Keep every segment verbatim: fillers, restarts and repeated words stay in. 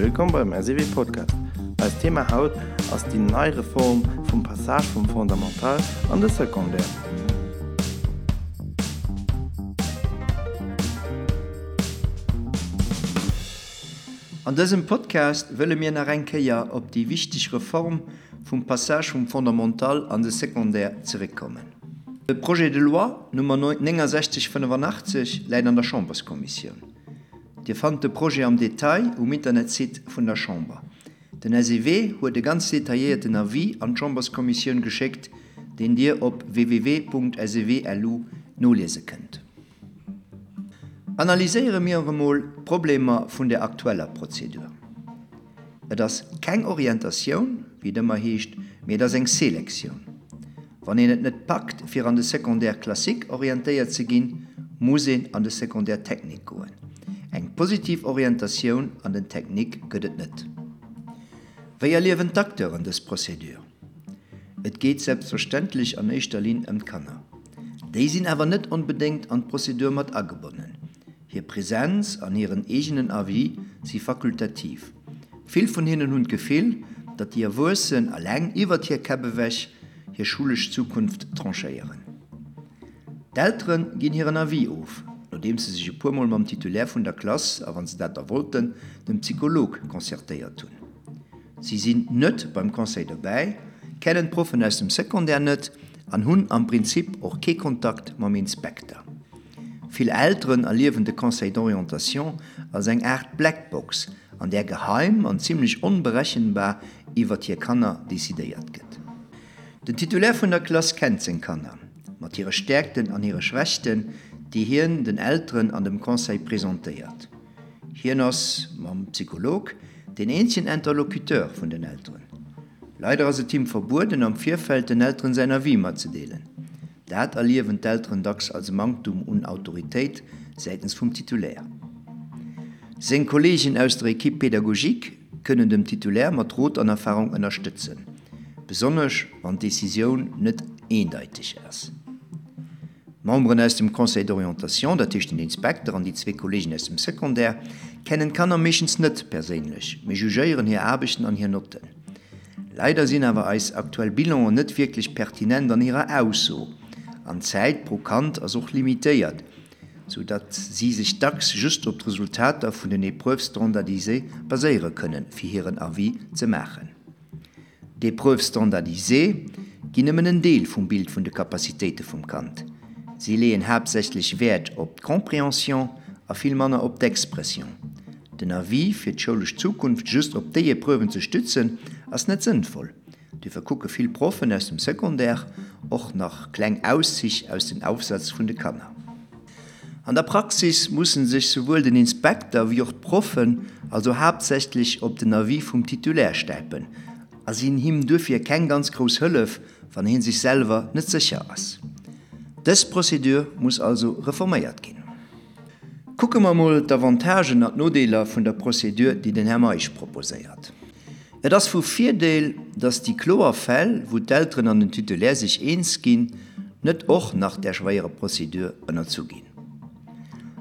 Wëllkomm beim S E W Podcast. Eist Thema haut ass déi nei Reform vum Passage vum Fondamental an de Secondaire. An dësem Podcast wëlle mir nach eng Kéier op déi wichteg Reform vum Passage vum Fondamental an de Secondaire zeréckkommen. De Projet de loi Nummer néngasechzeg fënnefanachteg läit an der Chamberskommissioun. Dir fannt de Projet am Detail um Internetsite vun der Chamber. Den S E W huet e ganz detailléierten Avis an d'Chamberskommissioun geschéckt, deen Dir op W W W Punkt S E W Punkt L U noliese kënnt. Analyséiere mir emol d'Problemer vun der aktueller Prozedur. Et ass keng Orientatioun, wéi et ëmmer heescht, mee et ass eng Selektioun. Wann een et net packt, fir an de Secondaire classique orientéiert ze ginn, muss een an de Secondaire technique goen. Eng positiv Orientatioun an den Technique gëtt et net. Wéi erliewen d'Acteuren dës Prozedur? Et geet selbstverständlech an éischter Linn ëm d'Kanner. Déi sinn awer net onbedéngt an d'Prozedur mat agebonnen. Hir Presenz an hiren eegenen Avis si fakultativ. Vill vun hinnen hunn d'Gefill, datt déi Erwuessen eleng iwwert hir Käpp ewech hir schoulesch Zukunft tranchéieren. D'Eltere ginn hiren Avis of, nodeems se sech e puermol mam Titulaire vun der Klass a wann se dat da wollten, dem Psycholog concertéiert hunn. Si sinn net beim Conseil dobäi, kennen d'Proffen aus dem Secondaire net an hunn am Prinzip och kee Kontakt mam Inspekter. Vill Elteren erliewen de Conseil d'orientation als eng Aart Blackbox, an där geheim an zimmlech onberechenbar iwwert hir Kanner decidéiert gëtt. Den Titulaire vun der Klass kennt seng Kanner, mat hire Stäerkten an hire Schwächten, déi hien den Elteren an dem Conseil presentéiert. Hien ass, mam Psycholog, deen eenzegen Interlocuteur vun den Elteren. Leider ass et him verbueden, am Virfeld den Elteren säin Avis matzedeelen. Dat erliewen d'Elteren dacks als Manktum un Autoritéit säitens vum Titulaire. Seng Kolleegen aus der Equipe pédagogique kënnen dem Titulaire mat Rot an Erfarung ënnerstëtzen, besonnesch wann d'Decisioun net eendeiteg ass. D'Memberen aus dem Conseil d'orientation, dat heescht den Inspekter an déi zwee Kolleegen aus dem Secondaire, kennen d'Kanner meeschtens net perséinlech, mee jugéieren hir Aarbechten an hir Notten. Leider sinn awer eis aktuell Bilanen net wierklech pertinent an hirer Ausso, an d'Zäit pro Kand ass och limitéiert, sou datt si sech dacks just op d'Resultater vun den Épreuves standardisées baséiere kënnen, fir hiren Avis ze maachen. D'Épreuves standardisées ginn nëmmen en Deel vum Bild vun de Capacitéite vum Kand. Si leeën haaptsächlech Wäert op d'Compréhension a vill manner op d'Expression. Den Avis fir d'schoulesch Zukunft just op déi Epreuven ze stützen, ass net sënnvoll. Duerfir kucke vill Proffen aus dem Secondaire och nach kleng Auszich aus den Aufsätz vun de Kanner. An der Praxis mussen sech souwuel den Inspekter wéi och d'Proffen also haaptsächlech op den Avis vum Titulaire stäipen a sinn him duerfir keng ganz grouss Hëllef, wann hie sech selwer net sécher ass. Dës Prozedur muss also reforméiert ginn. Kucke mer mol d'Avantagen an d'Nodeeler vun der Prozedur, déi den Här Meisch proposéiert. Et ass vu Virdeel, datt déi kloer Fäll, wou d'Elteren an den Titulaire sech eens ginn, net och nach där schwéierer Prozedur ënnerzu ginn.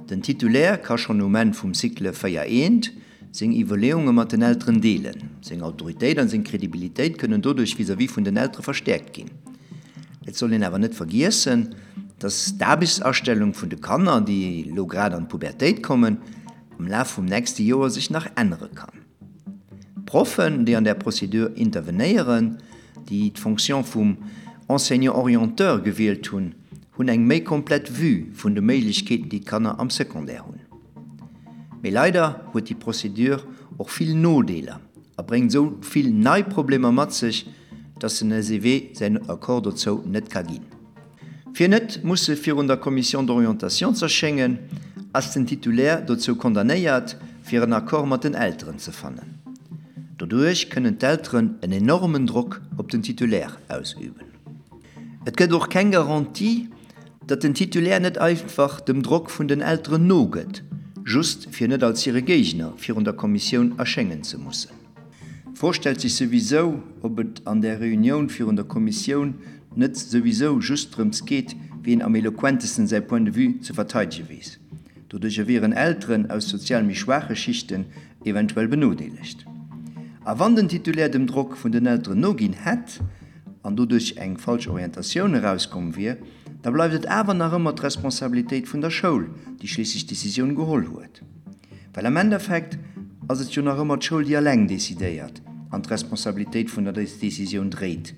Den Titulaire ka schonn um Enn vum Cycle véier eent seng Iwwerleeunge mat den Elteren deelen. Seng Autoritéit an seng Kredibilitéit kënnen doduerch vis-à-vis vun den Eltere verstäerkt ginn. Et soll een awer net vergiessen, dass d'Aarbechtsastellung vun de Kanner, déi elo grad an d'Pubertéit kommen, am Laf vum nächste Joer sech nach ännere kann. D'Proffen, déi an där Prozedur intervenéieren, déi d'Fonction vum Enseignant orienteur gewielt hunn, hunn eng méi komplett Vue vun de Méiglechkeeten, déi d'Kanner am Secondaire hunn. Mee leider huet déi Prozedur och vill Nodeeler a bréngt esou vill nei Problemer mat sech, dass den S E W säin Accord dozou net ka ginn. Fir net musse virun der Commission d'orientation z'erschéngen, ass den Titulaire dozou condamnéiert, fir en Accord mat den Elteren ze fannen. Doduerch kënnen d'Elteren en enormen Drock op den Titulaire ausüben. Et gëtt och keng Garantie, datt den Titulaire net einfach dem Drock vun den Elteren nogëtt, just fir net als hire Géigner virun der Kommissioun erschéngen ze mussen. D'Fro stellt sech souwisou, ob et an där Reunioun virun der Kommissioun net souwisou just drëms geet, wien am eloquentesten säi Point de vue ze verteidege weess. Doduercher wieren Elteren aus sozial méi schwaache Schichten eventuell benodeelegt. A wann den Titulaire dem Drock vun den Elteren noginn hätt an doduerch eng falsch Orientatioun erauskomm wier, da bleift et awer nach ëmmer d'Responsabilitéit vun der Schoul, déi schliisslech d'Decisioun geholl huet. Well am Endeffekt ass et jo nach ëmmer d'Schoul, déi eleng decidéiert an d'Responsabilitéit vun der Decisioun dréit.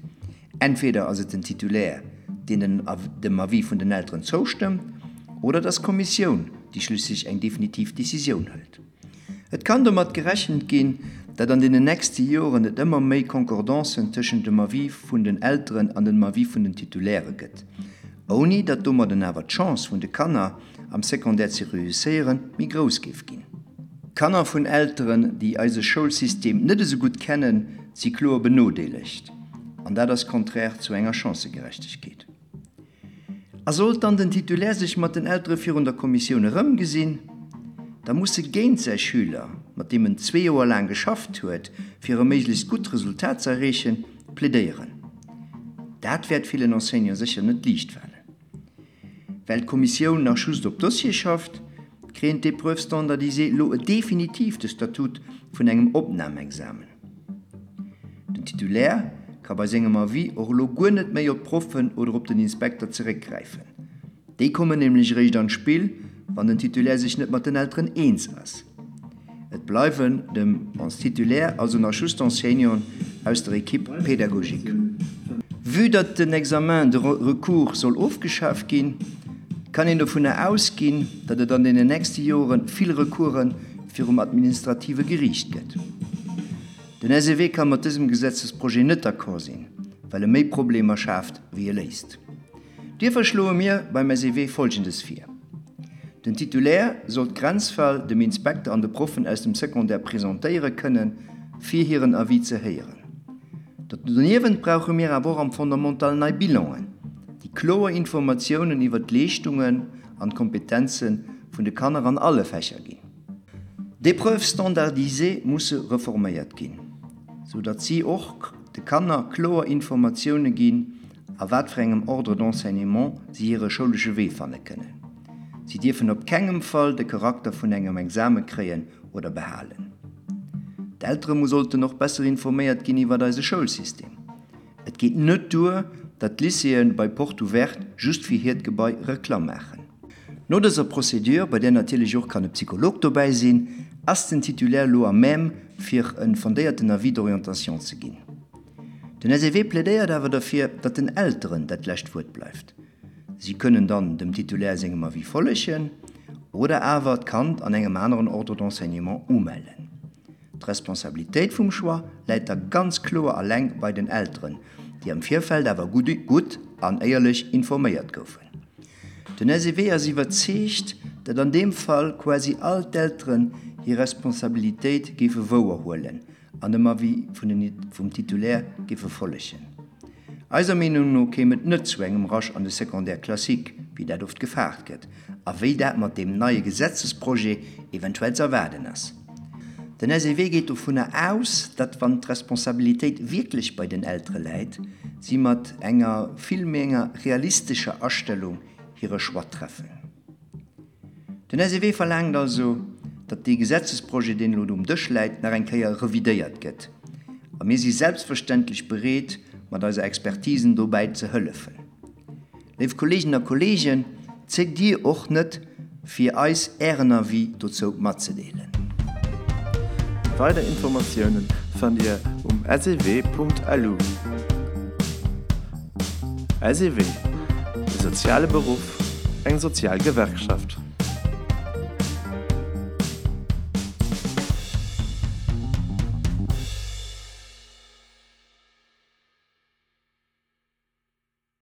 Entweder ass et den Titulaire, deen dem Avis vun den Elteren zoustëmmt, oder et ass d'Kommissioun, déi schliisslech eng definitiv Decisioun hëlt. Et kann domat gerechent ginn, datt an deenen nächste Joren et ëmmer méi Concordancen tëschent dem Avis vun den Elteren an dem Avis vun den Titulairë gëtt, ouni datt domadden awer d'Chance vun de Kanner, am Secondaire ze reusséieren, méi grouss géif ginn. Kanner vun Elteren, déi eise Schoulsystem net esou gutt kennen, si kloer benodeelegt, an dat ass konträr zu enger Chancëgerechtegkeet. A sollt dann den Titulaire sech mat den Eltere virun der Kommissioun erëmgesinn, da muss e géint säi Schüler, mat deem en zwee Joer laang geschafft huet, fir e méiglechst gutt Resultat ze erreechen, plädéieren. Dat wäert villen Enseignante sécher net liicht falen. Well d'Kommissioun nach just op Dossier schafft, kréien d'Épreuves standardisées elo definitiv de Statut vun engem Opnamexamen. Den Titulaire ka bei sengem Avis och elo guer net méi op d'Proffen oder op den Inspekter zeréckgräifen. Déi kommen nämlech eréischt an d'Spill, wann den Titulaire sech net mat den Elteren eens ass. Et bleiwen dem Titulaire also nach just d'Enseignanten aus der Equipe pédagogique. Vue datt den Examen de recours soll ofgeschaf ginn, kann een dovunner ausginn, datt et an deenen nächste Jore vill Recourse virum administrative Geriicht gëtt. Den S E W ka mat dësem Gesetzesprojet net d'accord sinn, well e méi Problemer schaaft, wéi e léist. Duerfir schloe mir beim S E W Folgendes vir. Den Titulaire soll d'Grenzfäll dem Inspekter an de Proffen aus dem Secondaire presentéiere kënnen, fir hiren Avis ze héieren. Doniewent brauche mir awer och am Fondamental nei Bilanen, déi kloer Informatiounen iwwer d'Leeschtungen an d'Kompetenze vun de Kanner an alle Fächer ginn. D'Épreuves standardisées musse reforméiert ginn, sou datt si och de Kanner kloer Informatioune ginn, a wat fir engem Ordre d'enseignement si hire schoulesche Wee fanne kënnen. Si dierfen op kengem Fall de Charakter vun engem Exame kréien oder behalen. D'Eltere sollten och besser informéiert ginn iwwer eise Schoulsystem. Et geet net duer, datt d'Lycéeë bei Porte ouverte just fir hiert Gebai Reklamm maachen. No dëser Procédure, bei där natierlech och kann e Psycholog dobäi sinn, ass den Titulaire elo à même, fir e fondéierten Avis d'orientation ze ginn. Den S E W plädéiert awer derfir, datt den Elteren dat lescht Wuert bleift. Si kënnen dann dem Titulaire sengem Avis follegen oder awer d'Kand an engem aneren Ordre d'enseignement umellen. D'Responsabilitéit vum Choix läit da ganz kloer alleng bei den Elteren, déi am Virfeld awer gutt an éierlech informéiert goufen. Den S E W ass iwwerzeegt, datt an deem Fall quasi all d'Elteren hir Responsabilitéit géife wouerhuelen an dem Avis vum Titulaire géife follegen. Eiser Meenung no kéim et net zu engem Rush an de Secondaire classique, wéi dat oft gefaart gëtt, a wéi dat mat deem neie Gesetzesprojet eventuell z'erwaarden ass. Den S E W geet dovunner aus, datt wann d'Responsabilitéit wierklech bei den Eltere läit, si mat enger vill méi enger realistescher Astellung hire Choix treffen. Den S E W verlaangt also, datt dee Gesetzesprojet, deen elo um Dësch läit, nach eng Kéier revidéiert gëtt. A mir si selbstverständlech bereet, mat eiser Expertisen dobäi ze hëllefen. Léif Kolleeginnen a Kolleegen, zéckt Dir och net, fir eis Ären Avis dozou matzedeelen. Weider Informatiounen fannt Dir um S E W Punkt L U. S E W, e soziale Beruff, eng sozial Gewerkschaft.